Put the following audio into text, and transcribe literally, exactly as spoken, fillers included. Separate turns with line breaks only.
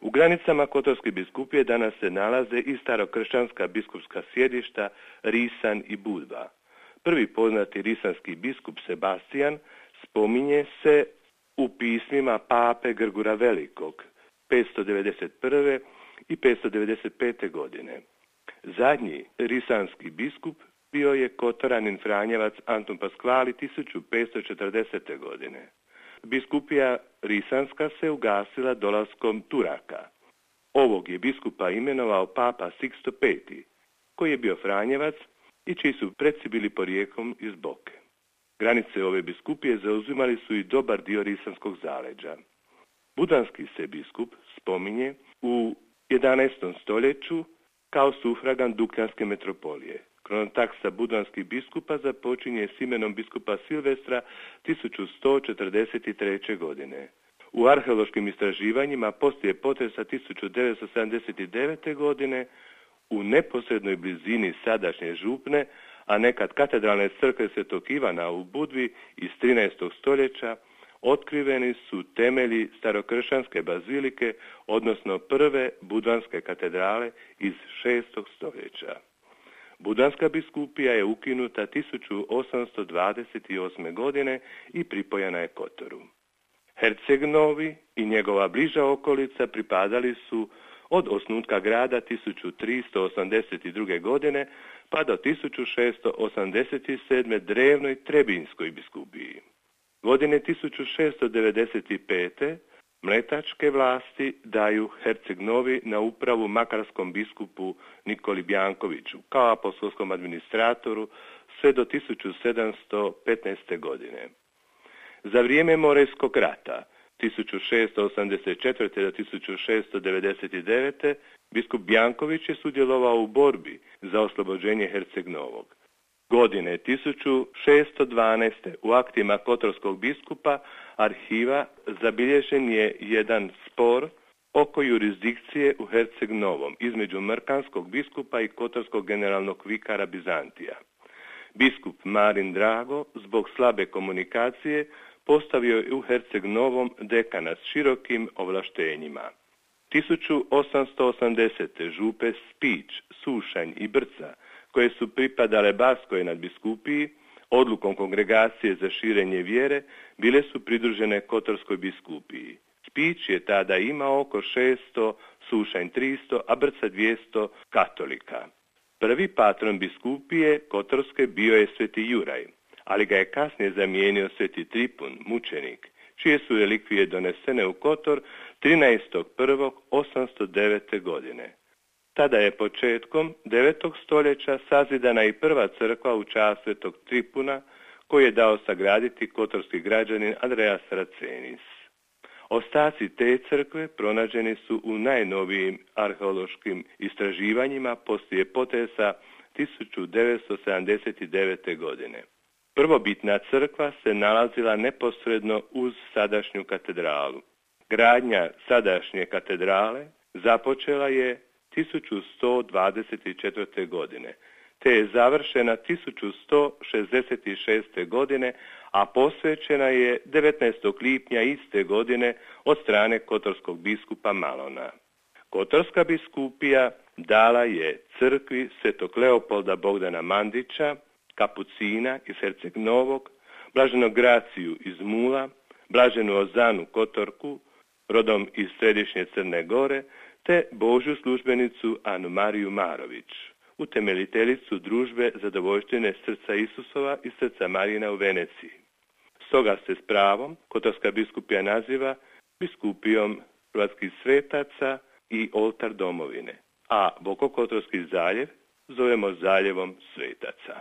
U granicama Kotorske biskupije danas se nalaze i starokršćanska biskupska sjedišta Risan i Budva. Prvi poznati risanski biskup Sebastijan spominje se u pismima pape Grgura Velikog petsto devedeset prve i petsto devedeset pete. godine. Zadnji risanski biskup bio je Kotoranin Franjevac Antun Paskvali tisuću petsto četrdesete. godine. Biskupija risanska se ugasila dolaskom Turaka. Ovog je biskupa imenovao papa Siksto peti, koji je bio Franjevac i čiji su preci bili porijeklom iz Boke. Granice ove biskupije zauzimali su i dobar dio risanskog zaleđa. Budanski se biskup spominje u jedanaestom stoljeću kao sufragan Dukljanske metropolije. Kronotaksa budanskih biskupa započinje s imenom biskupa Silvestra tisuću sto četrdeset treće. godine. U arheološkim istraživanjima poslije potresa tisuću devetsto sedamdeset devete. godine u neposrednoj blizini sadašnje župne, a nekad katedralne crkve Svetog Ivana u Budvi iz trinaestog stoljeća, otkriveni su temelji starokršćanske bazilike, odnosno prve budanske katedrale iz šestog stoljeća. Budanska biskupija je ukinuta tisuću osamsto dvadeset osme. godine i pripojena je Kotoru. Herceg Novi i njegova bliža okolica pripadali su od osnutka grada tisuću tristo osamdeset druge. godine pa do tisuću šesto osamdeset sedme. drevnoj Trebinjskoj biskupiji. Godine tisuću šesto devedeset pete. mletačke vlasti daju Herceg Novi na upravu makarskom biskupu Nikoli Bjankoviću kao apostolskom administratoru sve do tisuću sedamsto petnaeste. godine. Za vrijeme Morejskog rata tisuću šesto osamdeset četvrte. do tisuću šesto devedeset devete. biskup Bjanković je sudjelovao u borbi za oslobođenje Herceg Novog. Godine tisuću šesto dvanaeste. u aktima kotorskog biskupa arhiva zabilježen je jedan spor oko jurisdikcije u Herceg Novom između mrkanskog biskupa i kotorskog generalnog vikara Bizantija. Biskup Marin Drago zbog slabe komunikacije postavio je u Herceg Novom dekana s širokim ovlaštenjima. tisuću osamsto osamdesete. župe Spić, Sušanj i Brca, koje su pripadale Baskoj nadbiskupiji, odlukom kongregacije za širenje vjere, bile su pridružene Kotorskoj biskupiji. Spić je tada imao oko šesto, Sušanj tristo, a Brca dvjesto katolika. Prvi patron biskupije Kotorske bio je sveti Juraj, ali ga je kasnije zamijenio sveti Tripun, mučenik, čije su relikvije donesene u Kotor trinaestog prvog osamsto devete. godine. Tada je početkom devetog stoljeća sazidana i prva crkva u čast svetog Tripuna, koju je dao sagraditi kotorski građanin Andreas Racenis. Ostaci te crkve pronađeni su u najnovijim arheološkim istraživanjima poslije potresa tisuću devetsto sedamdeset devete. godine. Prvobitna crkva se nalazila neposredno uz sadašnju katedralu. Gradnja sadašnje katedrale započela je tisuću sto dvadeset četvrte. godine, te je završena tisuću sto šezdeset šeste. godine, a posvećena je devetnaestog lipnja iste godine od strane kotorskog biskupa Malona. Kotorska biskupija dala je crkvi svetog Leopolda Bogdana Mandića, kapucina iz Herceg Novog, blaženog Graciju iz Mula, blaženu Ozanu Kotorku, rodom iz središnje Crne Gore, te Božju službenicu Anu Mariju Marović, utemeljiteljicu družbe Zadovoljštine srca Isusova i srca Marijina u Veneciji. Stoga se s pravom Kotorska biskupija naziva biskupijom hrvatskih svetaca i oltar domovine, a Bokokotorski zaljev zovemo zaljevom svetaca.